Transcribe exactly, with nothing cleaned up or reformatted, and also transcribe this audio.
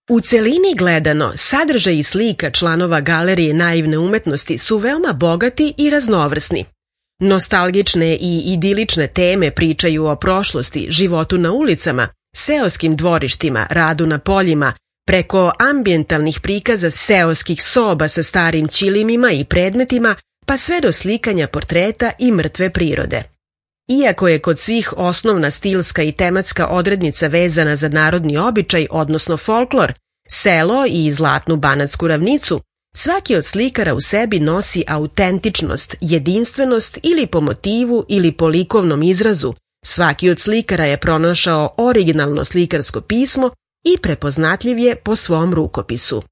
U celini gledano, sadržaj i slika članova Galerije naivne umetnosti su veoma bogati i raznovrsni. Nostalgične i idilične teme pričaju o prošlosti, životu na ulicama, seoskim dvorištima, radu na poljima, preko ambijentalnih prikaza seoskih soba sa starim ćilimima i predmetima, pa sve do slikanja portreta i mrtve prirode. Iako je kod svih osnovna stilska i tematska odrednica vezana za narodni običaj, odnosno folklor, selo i zlatnu banatsku ravnicu, svaki od slikara u sebi nosi autentičnost, jedinstvenost ili po motivu ili po likovnom izrazu. Svaki od slikara je pronašao originalno slikarsko pismo i prepoznatljiv je po svom rukopisu.